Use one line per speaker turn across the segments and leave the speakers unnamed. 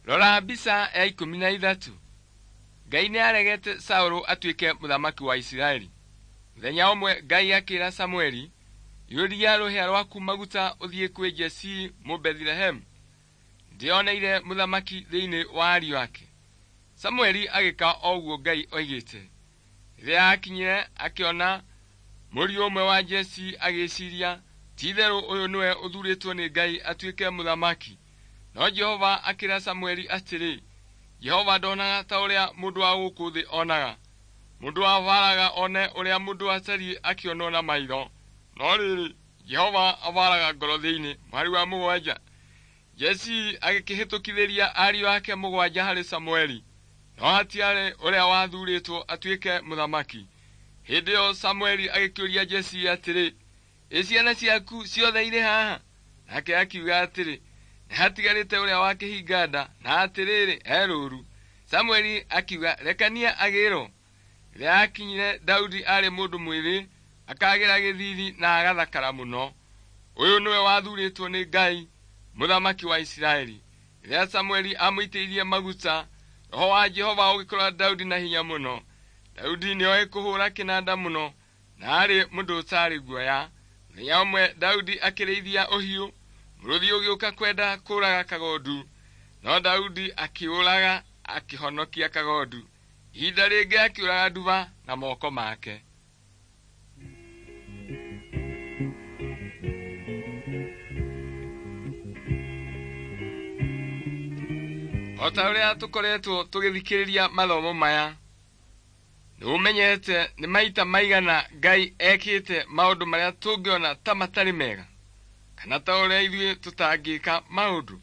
Rora mbica ya 13. Ngai nĩaregete Saũlũ atuĩke mũthamaki wa Isiraeli. Mũthenya ũmwe Ngai akĩra Samueli, iyũria rũhĩa rwaku maguta ũthiĩ kwĩ Jesii Mũbethilehemu. Ndĩoneire mũthamaki thĩinĩ wa ariũ ake. Samueli agĩka o ũguo Ngai oigĩte. Rĩrĩa aakinyire akĩona mũriũ ũmwe wa Jesii agĩciria, ti-itherũ ũyũ nĩwe ũthuurĩtwo nĩ Ngai atuĩke mũthamaki. No Jehova akĩra Samueli atĩrĩ, Jehova ndonaga ta ũrĩa mũndũ wa gũkũ thĩ onaga. Mũndũ abaraga one ũrĩa mũndũ atariĩ akĩonwo na maitho. No rĩrĩ, Jehova abaraga ngoro thĩinĩ. Mũhari wa 7. Jesii agĩkĩhĩtũkithĩria ariũ ake 7 harĩ Samueli, no hatiarĩ ũrĩa wathuurĩtwo atuĩke mũthamaki. Hĩndĩ ĩyo Samueli agĩkĩũria Jesii atĩrĩ, ĩ ciana ciaku ciothe irĩ haha? Nake akiuga atĩrĩ, nĩ hatigarĩte ũrĩa wa kĩhinga nda, na atĩrĩrĩ, e rũũru. Samueli akiuga, rekania agĩrwo. Rĩrĩa aakinyire Daudi aarĩ mũndũ mwĩthĩ, akagĩra gĩthiithi na agathakara mũno. Ũyũ nĩwe wathuurĩtwo nĩ Ngai, mũthamaki wa Isiraeli. Rĩrĩa Samueli aamũitĩrĩirie maguta, Roho wa Jehova ũgĩkora Daudi na hinya mũno. Daudi nĩoĩ kũhũũra kĩnanda mũno, na aarĩ mũndũ ũtaarĩ guoya. Mũthenya ũmwe Daudi akĩrĩithia ũhiũ, mũrũthi ũgĩũka kwenda kũũraga kagondu. No Daudi akĩũraga akĩhonokia kagondu. Ihinda rĩngĩ akĩũraga nduba na moko make. O ta ũrĩa tũkoretwo tũgĩthikĩrĩria mathomo maya, nĩũmenyete nĩ maita maigana Ngai ekĩte maũndũ marĩa tũngĩona ta matarĩ mega, kana ta ũrĩa ithuĩ tũtangĩka maũndũ.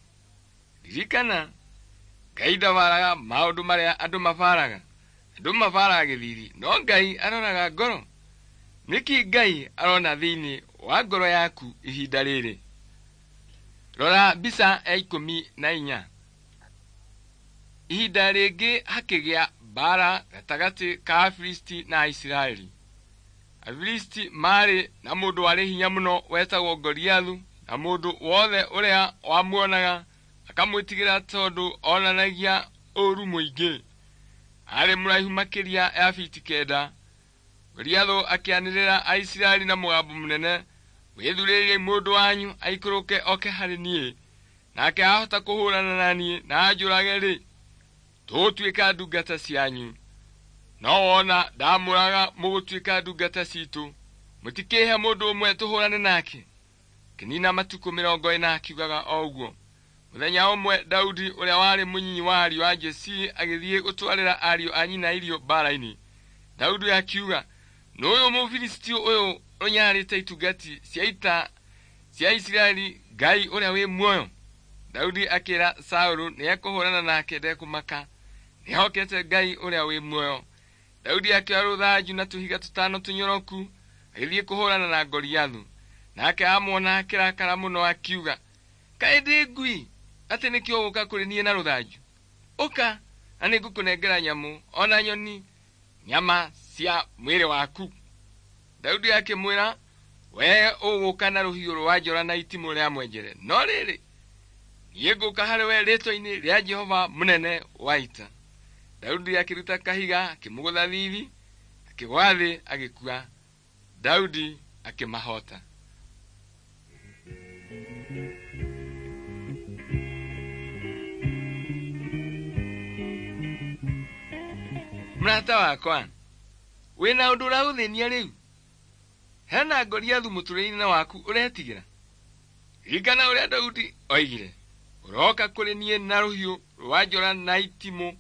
Ririkana, Ngai ndabaraga maũndũ marĩa andũ mabaraga. Andũ mabaraga gĩthiithi, no Ngai aroraga ngoro. Nĩkĩ Ngai arona thĩinĩ wa ngoro yaku ihinda rĩrĩ? Rora mbica ya 14. Ihinda rĩngĩ hakĩgĩa mbaara gatagatĩ ka Afilisti na Aisiraeli. Afilisti maarĩ na mũndũ warĩ hinya mũno wetagwo Goliathu, na mũndũ wothe ũrĩa wamuonaga akamwĩtigĩra tondũ onanagia ũũru mũingĩ. Aarĩ mũraihu makĩria ya fiti 9. Goliathu akĩanĩrĩra Aisiraeli na mũgambo mũnene, wĩthurĩriei mũndũ wanyu aikũrũke oke harĩ niĩ, nake ahota kũhũrana na niĩ na anjũrage-rĩ, tũgũtuĩka ndungata cianyu. No wona ndamũraga mũgũtuĩka ndungata ciitũ. Mũtikĩhe mũndũ ũmwe tũhũrane nake. Kĩnina matukũ 40 akiugaga o ũguo. Mũthenya ũmwe Daudi ũrĩa warĩ mũnyinyi wa ariũ a Jesii agĩthiĩ gũtwarĩra ariũ a nyina irio mbaara-inĩ. Daudi akiuga, nũyũ Mũfilisti ũyũ ũnyarĩte itungati cia ita cia Isiraeli Ngai ũrĩa wĩ muoyo. Daudi akĩra Saũlũ nĩekũhũrana nake ndekũmaka, nĩehokete Ngai ũrĩa wĩ muoyo. Daudi akĩoya rũthanju na tũhiga tũtano tũnyoroku agĩthiĩ kũhũrana na Goliathu. Nake amuona akĩrakara mũno akiuga, kaĩ ndĩ ngui atĩ nĩkĩo ũgũka kũrĩ niĩ na rũthanju? Ũka na nĩngũkũnengera nyamũ ona nyoni nyama cia mwĩrĩ waku. Daudi akĩmwĩra, wee ũgũka na rũhiũ rwa njora na itimũ rĩa mwenjere, no rĩrĩ, niĩ ngũka harĩ we rĩĩtwa-inĩ rĩa Jehova mũnene wa ita. Daudi akĩruta kahiga akĩmũgũtha thiithi, akĩgwa thĩ agĩkua. Daudi akĩmahota. Mũrata wakwa, wĩna ũndũ ũragũthĩnia rĩu? Hena Goliathu mũtũrĩre-inĩ waku ũretigĩra? Ririkana ũrĩa Daudi oigire, ũroka kũrĩ niĩ na rũhiũ rwa njora na itimũ,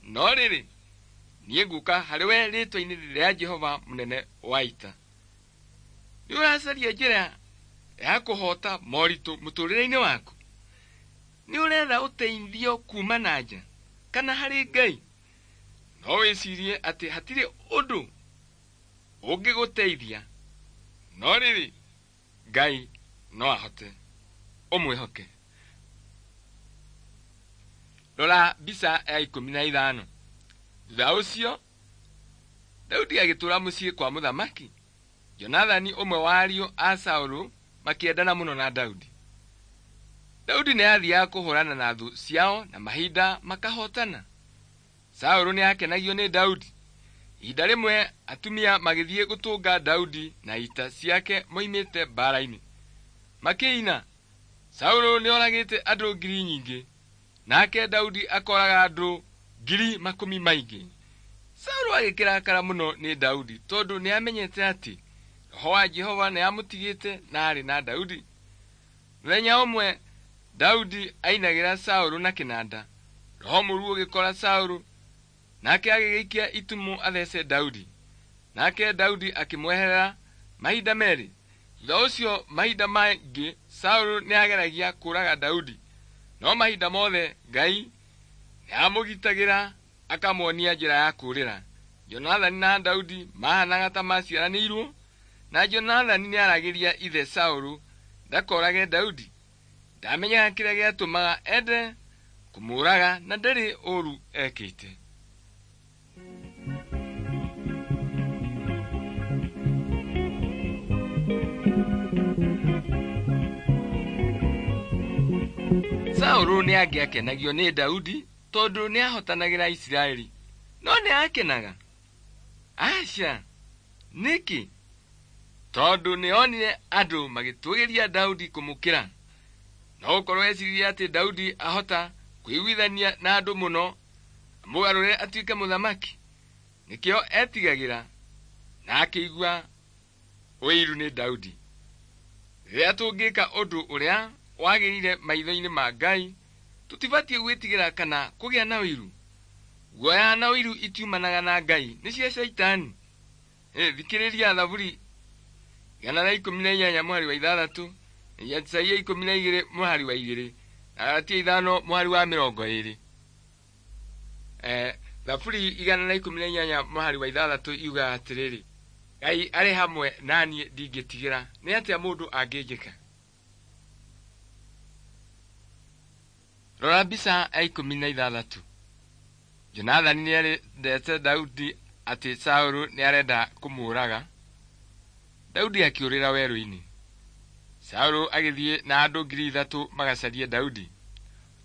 no rĩrĩ, niĩ ngũka harĩ we rĩĩtwa-inĩ rĩa Jehova mũnene wa ita. Nĩ ũracaria njĩra ya kũhota moritũ mũtũrĩre-inĩ waku? Nĩ ũretha ũteithio kuma na nja kana harĩ Ngai? No wĩcirie atĩ hatirĩ ũndũ ũngĩgũteithia, no rĩrĩ, Ngai no ahote. Ũmwĩhoke. Rora mbica ya 15. Thutha ũcio Daudi agĩtũũra mũciĩ kwa mũthamaki. Jonathani ũmwe wa ariũ a Saũlũ makĩendana mũno na Daudi. Daudi nĩ aathiaga kũhũrana na thũ ciao na mahinda makahotana. Saũlũ nĩ aakenagio nĩ Daudi. Ihinda rĩmwe atumia magĩthiĩ gũtũnga Daudi na ita ciake moimĩte mbaara-inĩ. Makĩina, Saũlũ nĩoragĩte andũ ngiri nyingĩ, nake Daudi akoraga andũ ngiri makũmi maingĩ. Saũlũ agĩkĩrakara mũno nĩ Daudi tondũ nĩamenyete atĩ Roho wa Jehova nĩamũtigĩte na aarĩ na Daudi. Mũthenya ũmwe Daudi ainagĩra Saũlũ na kĩnanda. Roho mũũru ũgĩkora Saũlũ, nake agĩgĩikia itimũ athece Daudi. Nake Daudi akĩmweherera mahinda merĩ. Thutha ũcio mahinda mangĩ Saũlũ nĩageragia kũũraga Daudi, no mahinda mothe Ngai nĩamũgitagĩra akamuonia njĩra ya kũũrĩra. Jonathani na Daudi mahanaga ta maciaranĩirwo, na Jonathani nĩaragĩria ithe Saũlũ ndakorage Daudi. Ndamenyaga kĩrĩa gĩatũmaga ende kũmũũraga na ndarĩ ũũru ekĩte. Saũlũ nĩangĩakenagio nĩ Daudi tondũ nĩahotanagĩra Isiraeli. No nĩakenaga? Aca! Nĩkĩ? Tondũ nĩonire andũ magĩtũgĩria Daudi kũmũkĩra. No gũkorwo eciririe atĩ Daudi ahota kwĩiguithania na andũ mũno amũgarũre atuĩke mũthamaki. Nĩkĩo etigagĩra na akĩigua ũiru nĩ Daudi. Rĩrĩa tũngĩka ũndũ ũrĩa wagĩrĩire maitho-inĩ ma Ngai, tũtibatiĩ gwĩtigĩra kana kũgĩa na ũiru. Guoya na ũiru itiumanaga na Ngai, nĩ cia Shaitani. Thikĩrĩria Thaburi 118 mũhari wa 6, Isaia 12 mũhari wa 2, na Galatia 5 mũhari wa 20. Thaburi 118 mũhari wa 6 yugaga atĩrĩrĩ, Ngai arĩ hamwe na niĩ ndingĩtigĩra, nĩ atĩa mũndũ angĩnjĩka? Rora mbica ya 16. Jonathani nĩerete Daudi atĩ Saũlũ nĩarenda kũmũũraga. Daudi akĩũrĩra werũ-inĩ. Saũlũ agĩthiĩ na andũ 3,000 magacarie Daudi.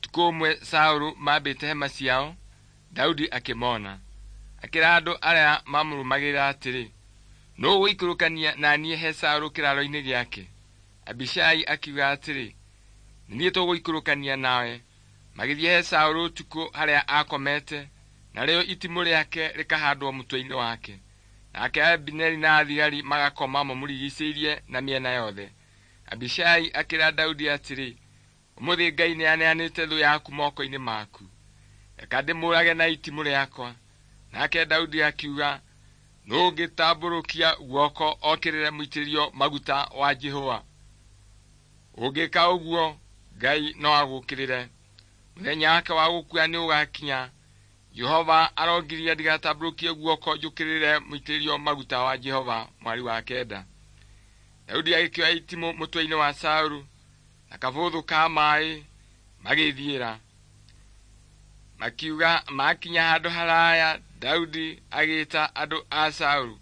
Ũtukũ ũmwe Saũlũ mambĩte hema ciao, Daudi akĩmona. Akĩra andũ arĩa mamũrũmagĩrĩra atĩrĩ, nũũ ũgũikũrũkania na niĩ he Saũlũ kĩraaro-inĩ gĩake? Abishai akiuga atĩrĩ, nĩ niĩ tũgũikũrũkania nawe. Magĩthiĩ he Saũlũ ũtukũ harĩa aakomete, narĩo itimũ rĩake rĩkahandwo mũtwe-inĩ wake. Nake Abineri na athigari magakoma mamũrigiicĩirie na mĩena yothe. Abishai akĩra Daudi atĩrĩ, ũmũthĩ Ngai nĩaneanĩte thũ yaku moko-inĩ maku. Reka ndĩmũũrage na itimũ rĩakwa. Nake Daudi akiuga, nũũ ũngĩtambũrũkia guoko okĩrĩre mũitĩrĩrio maguta wa Jehova? Ũngĩka ũguo, Ngai no agũũkĩrĩre. Mũthenya wake wa gũkua nĩũgakinya. Jehova arongiria ndigatambũrũkie guoko njũkĩrĩre mũitĩrĩrio maguta wa Jehova. Mwari wa 9. Daudi agĩkĩoya itimũ mũtwe-inĩ wa Saũlũ na kabũthũ ka maaĩ magĩthiĩra. Makiuga makinya handũ haraya, Daudi agĩĩta andũ a Saũlũ,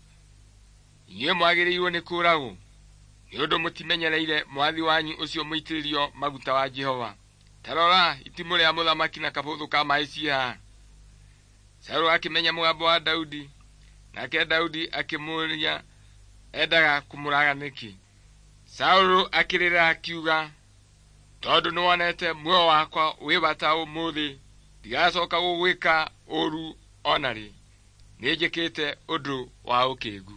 inyuĩ mwagĩrĩirwo nĩ kũũragwo, nĩ ũndũ mũtimenyereire mwathi wanyu ũcio mũitĩrĩrio maguta wa Jehova. Ta rora, itimũ rĩa mũthamaki na kabũthũ ka maaĩ ciĩ haha. Saũlũ akĩmenya mũgambo wa Daudi, nake Daudi akĩmũũria endaga kũmũraga nĩkĩ. Saũlũ akĩrĩra akiuga, tondũ nĩwonete muoyo wakwa wĩ bata ũmũthĩ, ndigacoka gũgwĩka ũũru o na rĩ. Nĩnjĩkĩte ũndũ wa ũkĩĩgu.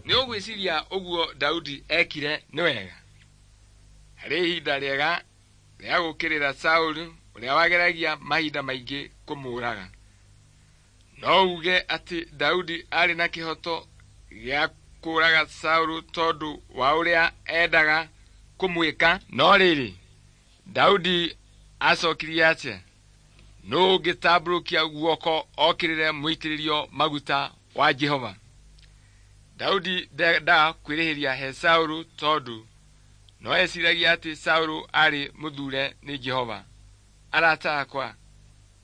Nĩ ũgwĩciria ũguo Daudi ekire nĩ wega? Harĩ ihinda rĩega rĩa gũũkĩrĩra Saũlũ ũrĩa wageragia mahinda maingĩ kũmũũraga. No uge atĩ Daudi aarĩ na kĩhooto gĩa kũũraga Saũlũ tondũ wa ũrĩa endaga kũmwĩka. No rĩrĩ, Daudi acokirie atĩa? Nũũ ũngĩtambũrũkia guoko okĩrĩre mũitĩrĩrio maguta wa Jehova? Daudi ndendaga kwĩrĩhĩria he Saũlũ tondũ no eciragia atĩ Saũlũ aarĩ mũthure nĩ Jehova. Arata akwa,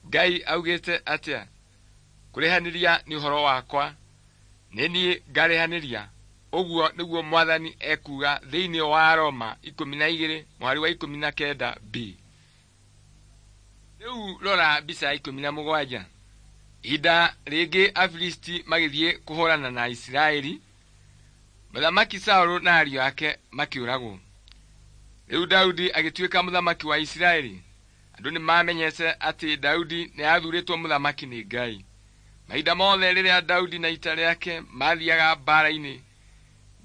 Ngai augĩte atĩa? Kũrĩhanĩria nĩ ũhoro wakwa, nĩ niĩ ngarĩhanĩria. Ũguo nĩguo Mwathani ekuuga thĩinĩ wa Roma 12 mũhari wa 19 b. Rĩu rora mbica ya 17. Ihinda rĩngĩ Afilisti magĩthiĩ kũhũrana na Isiraeli, Mũthamaki Saũlũ na ariũ ake makĩũragwo. Rĩu Daudi agĩtuĩka mũthamaki wa Isiraeli. Andũ nĩmamenyete atĩ Daudi nĩathurĩtwo mũthamaki nĩ Ngai. Mahinda mothe rĩrĩa Daudi na ita rĩake mathiaga mbaara-inĩ,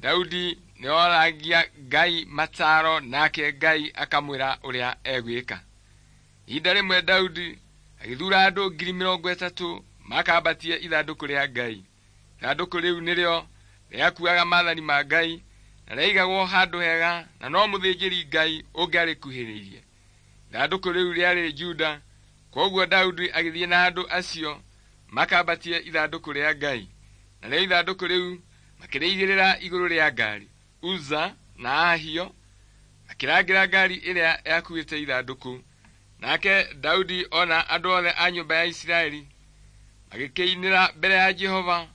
Daudi nĩoragia Ngai mataro nake Ngai akamwĩra ũrĩa egwĩka. Ihinda rĩmwe Daudi agĩthuura andũ 30,000 makambatie ithandũkũ rĩa Ngai. Ithandũkũ rĩu nĩrĩo rĩakuaga maathani ma Ngai na rĩaigagwo handũ hega na no mũthĩnjĩri Ngai ũngĩarĩkuhĩrĩirie. Ithandũkũ rĩu rĩarĩ Juda, kwoguo Daudi agĩthiĩ na andũ acio makambatie ithandũkũ rĩa Ngai. Narĩo ithandũkũ rĩu makĩrĩigĩrĩra igũrũ rĩa ngaari. Uza na Ahio makĩrangĩra ngaari ĩrĩa yakuĩte ithandũkũ. Nake Daudi ona andũ othe a nyũmba ya Isiraeli magĩkĩinĩra mbere ya Jehova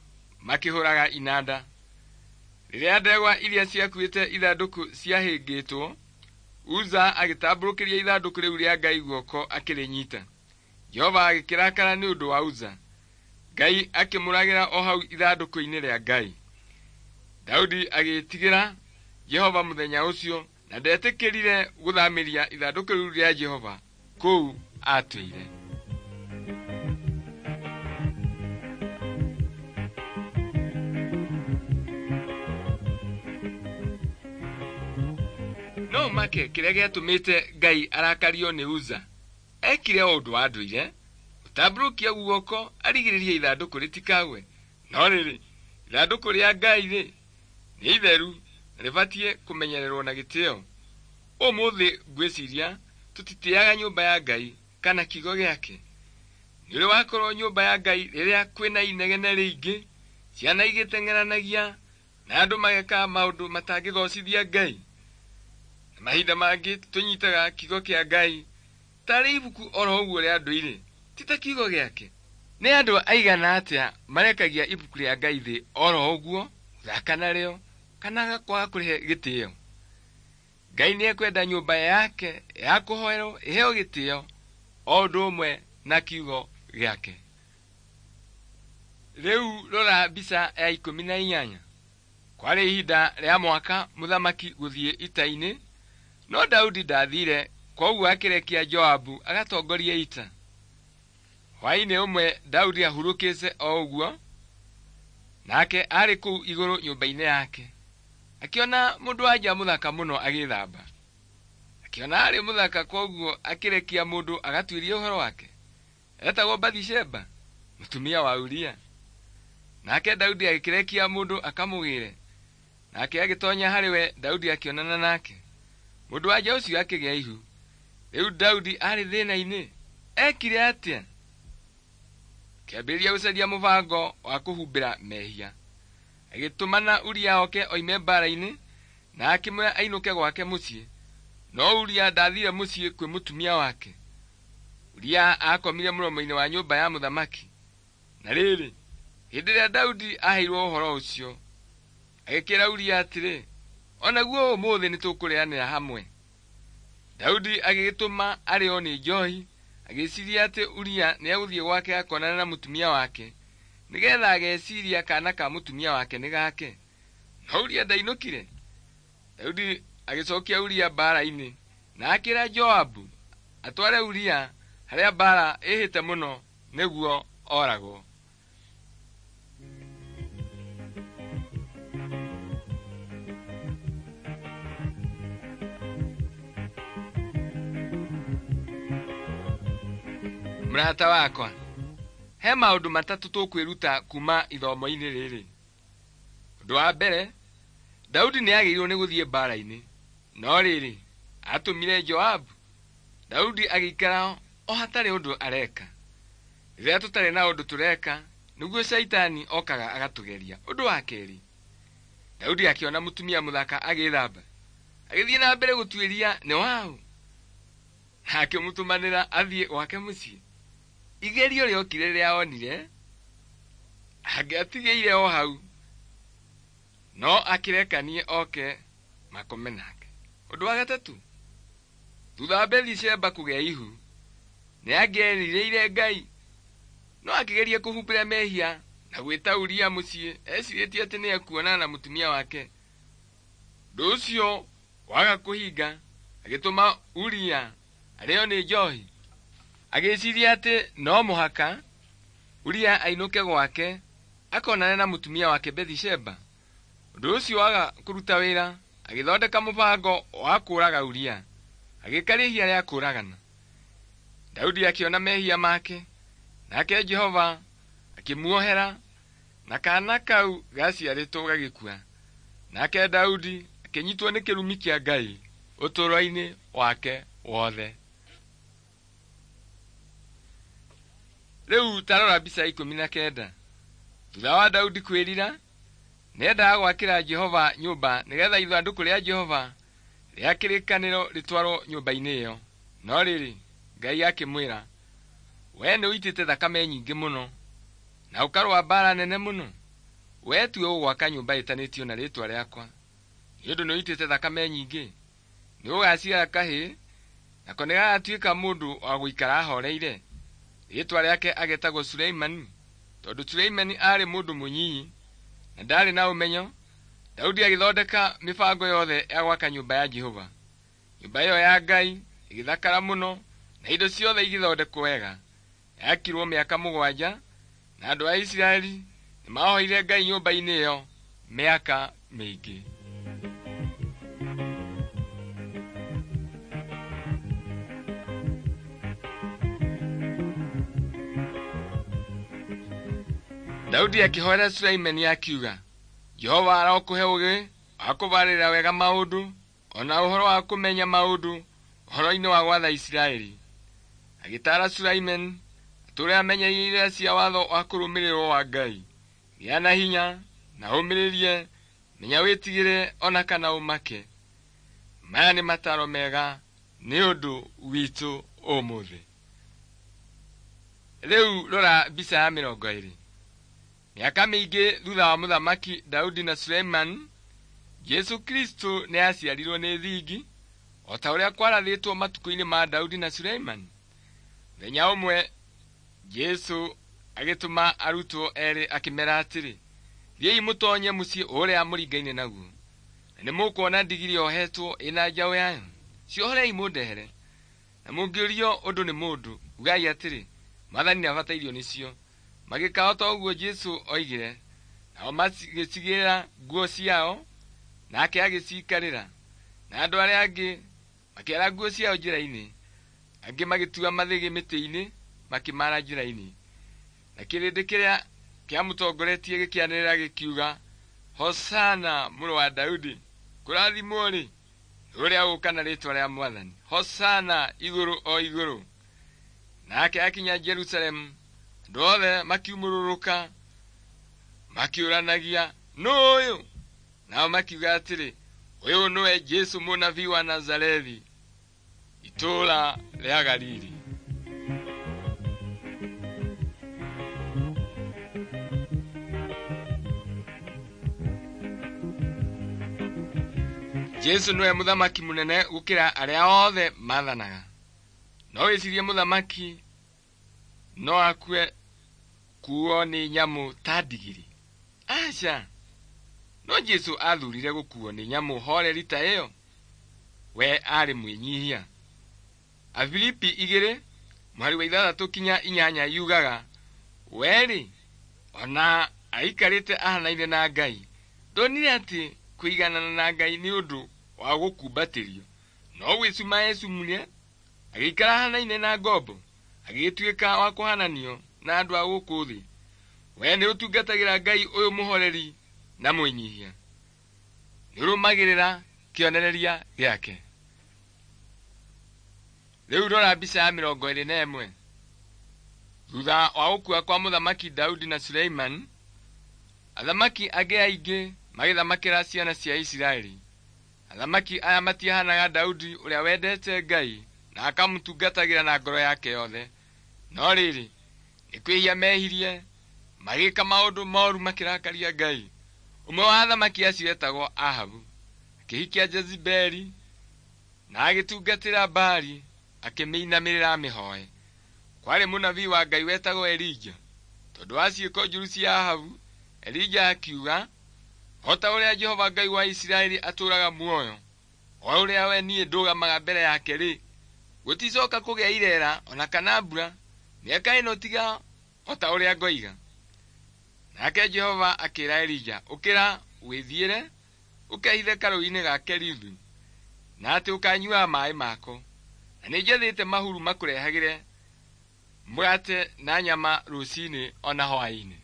makĩhũraga inanda. Rĩrĩa ndegwa iria ciakuĩte ithandũkũ ciahĩngĩtwo, Uza agĩtambũrũkĩria ithandũkũ rĩu rĩa Ngai guoko akĩrĩnyita. Jehova agĩkĩrakara nĩ ũndũ wa Uza. Ngai akĩmũragĩra o hau ithandũkũ-inĩ rĩa Ngai. Daudi agĩĩtigĩra Jehova mũthenya ũcio na ndetĩkĩrire gũthamĩria ithandũkũ rĩu rĩa Jehova kũu aatũire. No ũmake kĩrĩa gĩatũmĩte Ngai arakario nĩ Uza. Ekire o ũndũ wa ndũire, gũtambũrũkia guoko arigĩrĩrie ithandũkũ rĩtikagwe. No rĩrĩ, ithandũkũ rĩa Ngai-rĩ, nĩ itheru na rĩbatiĩ kũmenyererwo na gĩtĩo. Ũmũthĩ ngwĩciria tũtitĩaga nyũmba ya Ngai kana kiugo gĩake. Nĩ ũrĩ wakorwo nyũmba ya Ngai rĩrĩa kwĩna inegene rĩingĩ, ciana igĩteng'eranagia na andũ mageka maũndũ matangĩgocithia Ngai. Na mahinda mangĩ tũnyitaga kiugo kĩa Ngai tarĩ ibuku oro ũguo rĩa ndũire, ti ta kiugo gĩake. Nĩ andũ aigana atĩa marekagia ibuku rĩa Ngai thĩ oro ũguo, gũthaka narĩo, kana kwaga kũrĩhe gĩtĩo? Ngai nĩekwenda nyũmba yake ya kũhoerwo ĩheo gĩtĩo o ũndũ ũmwe na kiugo gĩake. Rĩu rora mbica ya 18. Kwarĩ ihinda rĩa mwaka mũthamaki gũthiĩ ita-inĩ, no Daudi ndathire, kwoguo akĩrekia Joabu agatongorie ita. Hwaĩ-inĩ ũmwe Daudi ahurũkĩte o ũguo, nake arĩ kũu igũrũ nyũmba-inĩ yake. Akĩona mũndũ-wa-nja mũthaka mũno agĩthamba. Akĩona arĩ mũthaka kwoguo akĩrekia mũndũ agatuĩrie ũhoro wake. Etagwo Bathisheba, mũtumia wa Uria. Nake Daudi agĩkĩrekia mũndũ akamũgĩre. Nake agĩtonya harĩ we, Daudi akĩonana nake. Mũndũ-wa-nja ũcio akĩgĩa ihu. Rĩu Daudi arĩ thĩna-inĩ. Ekire atĩa? Akĩambĩrĩria gũcaria mũbango wa kũhumbĩra mehia. Agĩtũmana Uria oke oime mbaara-inĩ na akĩmwĩra ainũke gwake mũciĩ. No Uria ndathire mũciĩ kwĩ mũtumia wake. Uria aakomire mũromo-inĩ wa nyũmba ya mũthamaki. Na rĩrĩ, hĩndĩ ĩrĩa Daudi aaheirwo ũhoro ũcio, agĩkĩra Uria atĩrĩ, o naguo ũmũthĩ nĩtũkũrĩanĩra hamwe. Daudi agĩgĩtũma arĩo nĩ njohi, agĩciiria atĩ Uria nĩegũthiĩ gwake akonane na mũtumia wake, nĩgetha ageciria kana ka mũtumia wake nĩ gake. No Uria ndainũkire. Daudi agĩcokia Uria mbaara-inĩ na akĩra Joabu atware Uria harĩa mbaara ĩhĩte mũno nĩguo oragwo. Mũrata wakwa, he maũndũ matatũ tũkwĩruta kuma ithomo-inĩ rĩrĩ. Ũndũ wa mbere, Daudi nĩagĩrĩirwo nĩ gũthiĩ mbaara-inĩ. No rĩrĩ, atũmire Joabu. Daudi agĩikara o hatarĩ ũndũ areka. Rĩrĩa tũtarĩ na ũndũ tũreka, nĩguo caitani okaga agatũgeria. Ũndũ wa kerĩ, Daudi akĩona mũtumia mũthaka agĩthamba, agĩthiĩ na mbere gũtuĩria nĩ waũ, na akĩmũtũmanĩra athiĩ gwake mũciĩ. Igerio rĩokire rĩrĩa onire Angĩatigĩire o hau, no akĩrekanie oke makome nake. Ũndũ wa gatatũ, thutha wa Bethisheba kũgĩa ihu, nĩ angĩerirĩire Ngai, no akĩgeria kũhumbĩra mehia na gwĩta Uria mũciĩ ecirĩtie atĩ nĩ ekuonana na mũtumia wake. Ũndũ ũcio waga kũhinga, agĩtũma Uria arĩo nĩ njohi. Agĩciria atĩ no mũhaka Uria ainũke gwake akonane na mũtumia wake Bethisheba. Ũndũ ũcio waga kũruta wĩra, agĩthondeka mũbango wa kũũraga Uria. Agĩĩka rĩhia rĩa kũũragana. Daudi akĩona mehia make, nake Jehova akĩmuohera na kaana kau gaciarĩtwo gagĩkua. Nake Daudi akĩnyitwo nĩ kĩrumi kĩa Ngai ũtũũro-inĩ wake wothe. Rĩu ta rora mbica 19. Thutha wa Daudi kwĩrira, nĩendaga gwakĩra Jehova nyũmba nĩgetha ithandũkũ rĩa Jehova rĩa kĩrĩkanĩro rĩtwarwo nyũmba-inĩ ĩyo. No rĩrĩ, Ngai akĩmwĩra, "Wee nĩũitĩte thakame nyingĩ mũno, na ũkarũa mbaara nene mũno. Wee tiwe ũgwaka nyũmba ĩtanĩtio na rĩĩtwa rĩakwa, nĩ ũndũ nĩũitĩte thakame nyingĩ. Nĩũgaciara kahĩĩ, nako nĩgagatuĩka mũndũ wa gũikara ahooreire. Rĩĩtwa rĩake agetagwo Suleimani, tondũ Suleimani aarĩ mũndũ mũnyinyi na ndaarĩ na ũmenyo." Daudi agĩthondeka mĩbango yothe ya gwaka nyũmba ya Jehova. Nyũmba ĩyo ya Ngai ĩgĩthakara mũno na indo ciothe igĩthondekwo wega. Yakirwo mĩaka 7, na andũ a Isiraeli nĩmahoire Ngai nyũmba-inĩ ĩyo mĩaka mĩingĩ. Daudi akĩhoera Suleimani akiuga, "Jehova arokũhe ũũgĩ wa kũbarĩrĩra wega maũndũ, o na ũhoro wa kũmenya maũndũ ũhoro-inĩ wa gwatha Isiraeli." Agĩtaara Suleimani atũũre amenyereire irĩra cia watho wa kũrũmĩrĩrwo wa Ngai. Gĩa na hinya na ũmĩrĩrie, menya wĩtigĩre o na kana ũmake. Maya nĩ mataaro mega nĩ ũndũ witũ ũmũthĩ. Rĩu rora mbica ya 20. Mĩaka mĩingĩ thutha wa mũthamaki Daudi na Suleimani, Jesũ Kristo nĩ aaciarirwo nĩ thingi, o ta ũrĩa kwarathĩtwo matukũ-inĩ ma Daudi na Suleimani. Mũthenya ũmwe Jesũ agĩtũma arutwo erĩ akĩmera atĩrĩ, "Thiĩi mũtoonye mũciĩ ũrĩa mũringaine naguo, na nĩmũkuona ndigiri yohetwo ĩna njaũ yayo. Ciohorei mũndehere. Na mũngĩũrio ũndũ nĩ mũndũ, ugai atĩrĩ, 'Mwathani nĩabatairio nĩcio.'" Magĩĩka o ta ũguo Jesũ oigire, nao magĩcigĩra nguo ciao, nake agĩciikarĩra. Na andũ arĩa angĩ makĩara nguo ciao njĩra-inĩ, angĩ magĩtua mathĩgĩ mĩtĩ-inĩ makĩmaara njĩra-inĩ. Na kĩrĩndĩ kĩrĩa kĩamũtongoretie gĩkĩanĩrĩra gĩkiuga, "Hosana mũrũ wa Daudi! Kũrathimwo-rĩ, nĩ ũrĩa ũgũũka na rĩĩtwa rĩa Mwathani! Hosana igũrũ o igũrũ!" Nake akinya Jerusalemu, andũ othe makiumũrũrũka makĩũranagia, "Nũũ ũyũ?" Nao makiuga atĩrĩ, "Ũyũ nĩwe Jesũ mũnabii wa Nazarethi, itũũra rĩa Galili." Jesũ nĩwe mũthamaki mũnene gũkĩra arĩa othe maathanaga. No wĩcirie mũthamaki no akue kuo nĩ nyamũ ta ndigiri? Aca! No Jesũ aathurire gũkuo nĩ nyamũ horeri ta ĩyo. We aarĩ mwĩnyihia. Afilipi 2 mũhari wa 6 kinya 8 yugaga, "We-rĩ, ona aikarĩte ahanaine na Ngai, ndonire atĩ kũiganana na Ngai nĩ ũndũ wa gũkumbatĩrio, no gwĩcuma eecumire, agĩikara ahanaine na ngombo, agĩgĩtuĩka wa kũhananio na andũ a gũkũ thĩ." We nĩũtungatagĩra Ngai ũyũ mũhoreri na mwĩnyihia. Nĩũrũmagĩrĩra kĩonereria gĩake. Rĩu rora mbica ya 21. Thutha wa gũkua kwa mũthamaki Daudi na Suleimani, athamaki angĩ aingĩ magĩthamakĩra ciana cia Isiraeli. Athamaki aya matiahanaga Daudi ũrĩa wendete Ngai na akamũtungatagĩra na ngoro yake yothe. No rĩrĩ, nĩ kwĩhia mehirie, Magĩka maũndũ moru makĩrakaria Ngai. Ũmwe wa athamaki acio etagwo Ahabu. Akĩhikia Jezebeli na agĩtungatĩra Baali akĩmĩinamĩrĩra amĩhoe. Kwarĩ mũnabii wa Ngai wetagwo Elija. Tondũ wa ciĩko njũru cia Ahabu, Elija akiuga, o ta ũrĩa Jehova Ngai wa Isiraeli atũũraga muoyo, o ũrĩa we niĩ ndũgamaga mbere yake-rĩ, gũticoka kũgĩa irera ona kana mbura mĩaka ĩno tiga o ta ũrĩa ngoiga. Nake Jehova akĩra Elija, ũkĩra wĩthiĩre ũkehithe karũũĩ-inĩ ga Kerithu, na atĩ ũkanyuaga maaĩ mako. Na nĩnjathĩte mahuru makũrehagĩre mũgate na nyama rũcinĩ ona hwaĩ-inĩ.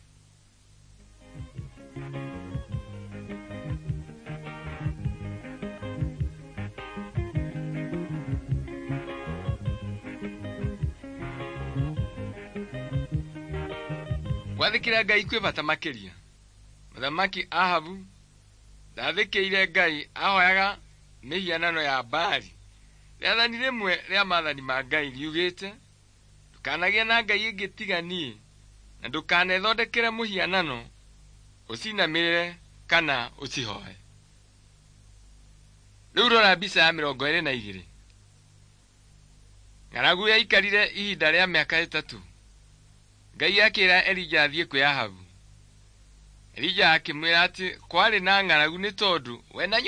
Gwathĩkĩra Ngai kwĩ bata makĩria. Mũthamaki Ahabu ndathĩkĩire Ngai, ahoyaga mĩhianano ya Baali. Rĩathani rĩmwe rĩa maathani ma Ngai riugĩte, ndũkanagĩe na ngai ĩngĩ tiga niĩ, na ndũkanethondekere mũhianano ũcinamĩrĩre kana ũcihoe. Rĩu rora mbica ya 22. Ng'aragu yaikarire ihinda rĩa mĩaka 3. Ngai akĩra Elija athiĩ kwĩ Ahabu. Elija akĩmwĩra atĩ kwarĩ na ng'aragu nĩ tondũ we na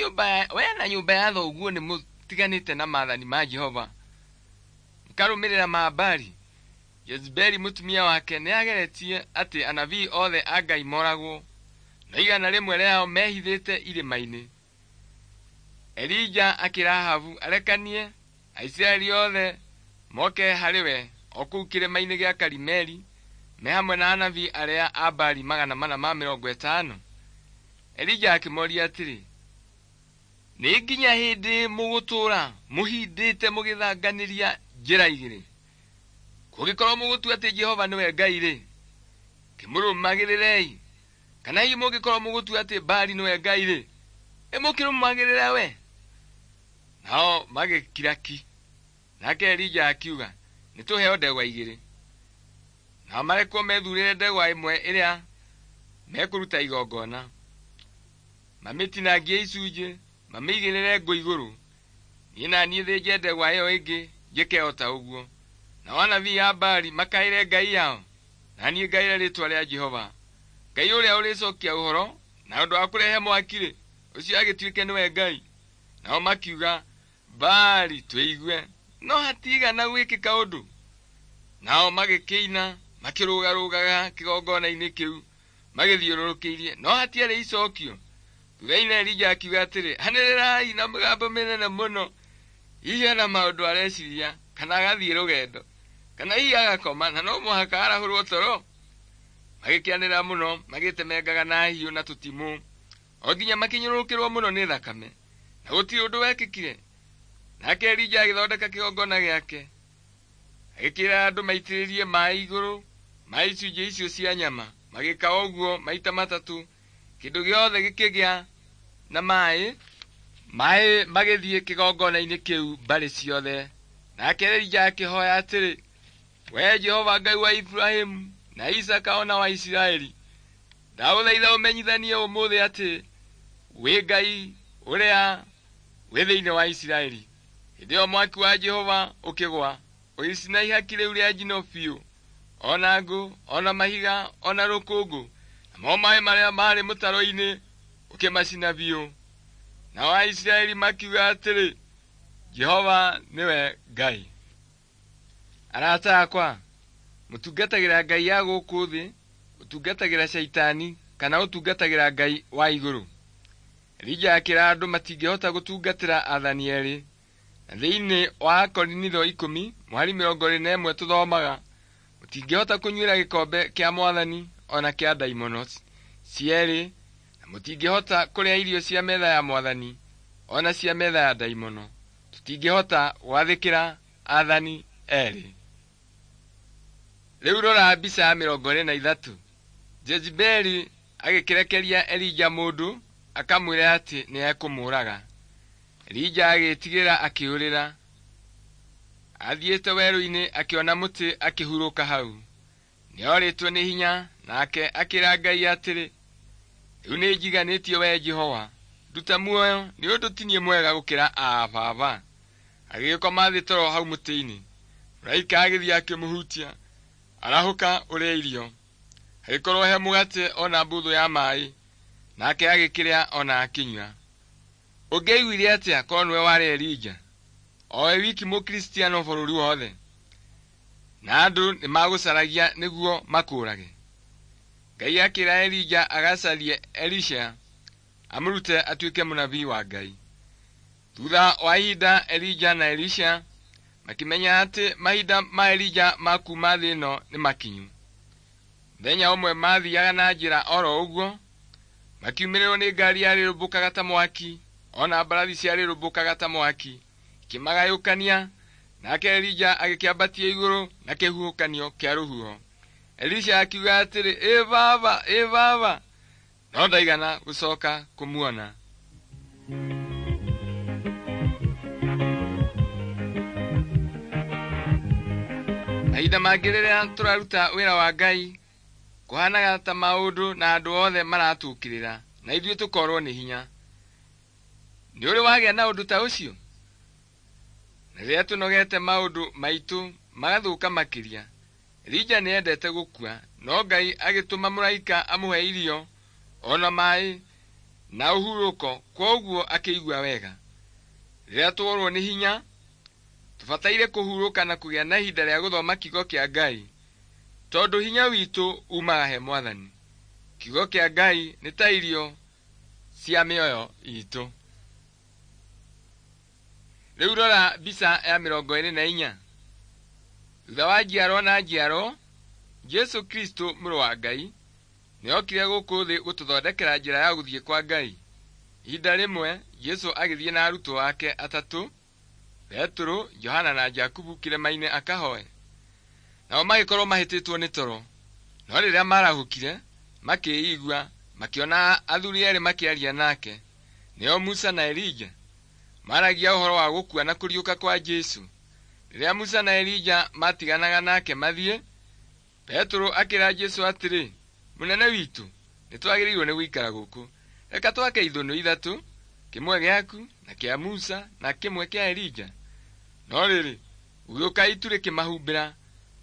nyũmba ya thoguo nĩ mũtiganĩte na maathani ma Jehova, mũkarũmĩrĩra ma Baali. Jezebeli mũtumia wake nĩageretie atĩ anabii othe a Ngai moragwo, no 100 rĩao mehithĩte irĩma-inĩ. Elija akĩra Ahabu arekanie Aisiraeli othe moke harĩ we o kũu kĩrĩma-inĩ gĩa Karimeli, me hamwe na anabii arĩa a Baali 450. Elija akĩmoria atĩrĩ, nĩ nginya hĩndĩ mũgũtũũra mũhindĩte mũgĩthanganĩria njĩra igĩrĩ? Kũngĩkorwo mũgũtua atĩ Jehova nĩwe Ngai-rĩ, kĩmũrũmagĩrĩrei; kana hihi mũngĩkorwo mũgũtua atĩ Baali nĩwe Ngai-rĩ, ĩmũkĩrũmagĩrĩre we. Nao magĩkira ki. Nake Elija akiuga, nĩtũheo ndegwa igĩrĩ. Nao marekwo methurĩre ndegwa ĩmwe ĩrĩa mekũruta igongona, mamĩtinangie icunjĩ, mamĩigĩrĩre ngũ igũrũ. Niĩ na niĩ thĩnje ndegwa ĩyo ĩngĩ njĩke o ta ũguo. Nao anabii a Baali makaĩre ngai yao, na niĩ ngaĩre rĩĩtwa rĩa Jehova. Ngai ũrĩa ũrĩcokia ũhoro na ũndũ wa kũrehe mwaki-rĩ, ũcio agĩtuĩke nĩwe Ngai. Nao makiuga, Baali twĩigue, no hatigana gwĩkĩka ũndũ. Nao magĩkĩina makĩrũgarũgaga kĩgongona-inĩ kĩu magĩthiũrũrũkĩirie, no hatiarĩ icokio. Thutha-inĩ Elija akiuga atĩrĩ, anĩrĩrai na mĩgambo mĩnene mũno. Hihi ena maũndũ areciria, kana agathiĩ rũgendo, kana hihi agakoma, na no mũhaka arahũrwo toro. Magĩkĩanĩrĩra mũno, magĩtemengaga na hiũ na tũtimũ, o nginya makĩnyũrũrũkĩrwo mũno nĩ thakame, na gũtirĩ ũndũ wekĩkire. Nake Elija agĩthondeka kĩgongona gĩake, agĩkĩra andũ maitĩrĩrie maaĩ igũrũ ma icunjĩ icio cia nyama. Magĩka ũguo maita 3, kĩndũ gĩothe gĩkĩgĩa na maaĩ. Maaĩ magĩthiĩ kĩgongona-inĩ kĩu mbarĩ ciothe. Nake Elija akĩhoya atĩrĩ, we Jehova Ngai wa Iburahĩmu na Isaaka ona wa Isiraeli, ndagũthaitha ũmenyithanie ũmũthĩ atĩ wĩ Ngai ũrĩa wĩ thĩinĩ wa Isiraeli. Hĩndĩ ĩyo mwaki wa Jehova ũkĩgwa, ũgĩcina ihaki rĩu rĩa njino biũ, ona ngũ, ona mahiga, ona rũkũngũ, namo maaĩ marĩa maarĩ mũtaro-inĩ ũkĩmacina biũ. Nao Aisiraeli makiuga atĩrĩ, Jehova nĩwe Ngai. Arata akwa, mũtungatagĩra Ngai ya gũkũ thĩ, ũtungatagĩra Shaitani, kana ũtungatagĩra Ngai wa igũrũ? Elija akĩra andũ matingĩhota gũtungatĩra aathani erĩ. Na thĩinĩ wa Akorinitho 10 mũhari 21 tũthomaga, mũtingĩhota kũnyuĩra gĩkombe kĩa Mwathani ona kĩa ndaimono cierĩ, na mũtingĩhota kũrĩa irio cia metha ya Mwathani ona cia metha ya ndaimono. Tũtingĩhota gwathĩkĩra aathani erĩ. Rĩu rora mbica ya 23. Jezebeli agĩkĩrekeria Elija mũndũ akamwĩre atĩ nĩekũmũũraga. Elija agĩĩtigĩra akĩũrĩra. Athiĩte werũ-inĩ akĩona mũtĩ akĩhurũka hau. Nĩorĩtwo nĩ hinya Nake akĩra Ngai atĩrĩ, rĩu nĩnjiganĩtie wee Jehova, nduta muoyo nĩ ũndũ ti niĩ mwega gũkĩra aa baba. Agĩgĩkoma thĩ toro hau mũtĩ-inĩ. Mũraika agĩthiĩ akĩmũhutia, arahũka ũrĩe irio. Hagĩkorwo he mũgate ona mbũthũ ya maĩ, nake agĩkĩrĩa ona akĩnyua. Ũngĩaiguire atĩa korwo nĩwe warĩ Elija, o we wiki Mũkristiano bũrũri wothe, na andũ nĩmagũcaragia nĩguo makũũrage? Ngai akĩra Elija agacarie Elisha amũrute atuĩke mũnabii wa Ngai. Thutha wa ihinda Elija na Elisha makĩmenya atĩ mahinda ma Elija ma kuuma thĩ ĩno nĩ makinyu. Mũthenya ũmwe maathiaga na njĩra oro ũguo, makiumĩrĩrwo nĩ ngari yarĩrũmbũkaga ta mwaki, ona mbarathi ciarĩrũmbũkaga ta mwaki, ikĩmagayũkania, nake Elija agĩkĩambatia igũrũ na kĩhuhũkanio kĩa rũhuho. Elisha akiuga atĩrĩ, ĩ baba, ĩ baba, no ndaigana gũcoka kũmuona. Mahinda mangĩ rĩrĩa tũraruta wĩra wa Ngai, kũhanaga ta maũndũ na andũ othe maratũũkĩrĩra na ithuĩ tũkorwo nĩ hinya. Nĩ ũrĩ wagĩa na ũndũ ta ũcio? Na rĩrĩa tũnogete maũndũ maitũ magathũka makĩria. Elija nĩendete gũkua, no Ngai agĩtũma mũraika amũhe irio ona maĩ na ũhurũko, kwoguo akĩigua wega. Rĩrĩa tworwo nĩ hinya, tũbataire kũhurũka na kũgĩa na ihinda rĩa gũthoma kiugo kĩa Ngai, tondũ hinya witũ umaga he Mwathani. Kiugo kĩa Ngai nĩ ta irio cia mĩoyo itũ. Rĩu rora mbica ya 24. Thutha wa njiarwo na njiarwo, Jesũ Kristo mũrũ wa Ngai nĩokire gũkũ thĩ gũtũthondekera njĩra ya gũthiĩ kwa Ngai. Ihinda rĩmwe Jesũ agĩthiĩ na arutwo ake atatũ, Petero, Johana na Jakubu kĩrĩma-inĩ akahoe. Nao magĩkorwo mahĩtĩtwo nĩ toro, no rĩrĩa marahũkire, makĩĩigua, makĩona athuri erĩ makĩaria nake, nĩo Musa na Elija. Maaragia ũhoro wa gũkua na kũriũka kwa Jesũ. Rĩrĩa Musa na Elija maatiganaga nake mathiĩ, Petero akĩra Jesũ atĩrĩ, mũnene witũ, nĩtwagĩrĩirwo nĩ gũikara gũkũ. Reka twake ithũnũ ithatũ, kĩmwe gĩaku na kĩa Musa na kĩmwe kĩa Elija. No rĩrĩ, gũgĩũka itu rĩkĩmahumbĩra,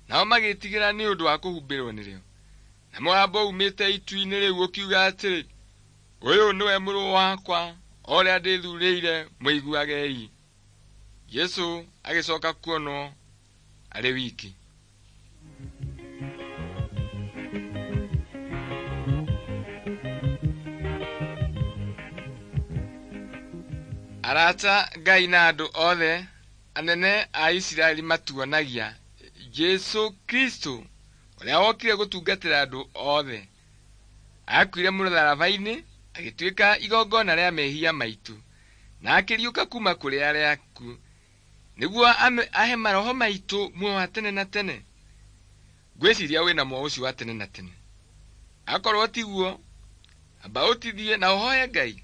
nao magĩĩtigĩra nĩ ũndũ wa kũhumbĩrwo nĩrĩo. Na mũgambo uumĩte itu-inĩ rĩu ũkiuga atĩrĩ, ũyũ nĩwe mũrũ wakwa, o ũrĩa ndĩthuurĩire, mũiguagei. Jesũ agĩcoka kuonwo arĩ wiki. Arata Ngai na andũ othe anene a Isiraeli matuonagia Jesũ Kristo ũrĩa wokire gũtungatĩra andũ othe. Akuire mũtharaba-inĩ agĩtuĩka igongona rĩa mehia maitũ na akĩriũka kuma kũrĩ arĩa akuũ nĩguo ahe maroho maitũ muoyo wa tene na tene. Ngwĩciria wĩna muoyo ũcio wa tene na tene. Akorwo tiguo, amba ũtithie na ũhoe Ngai.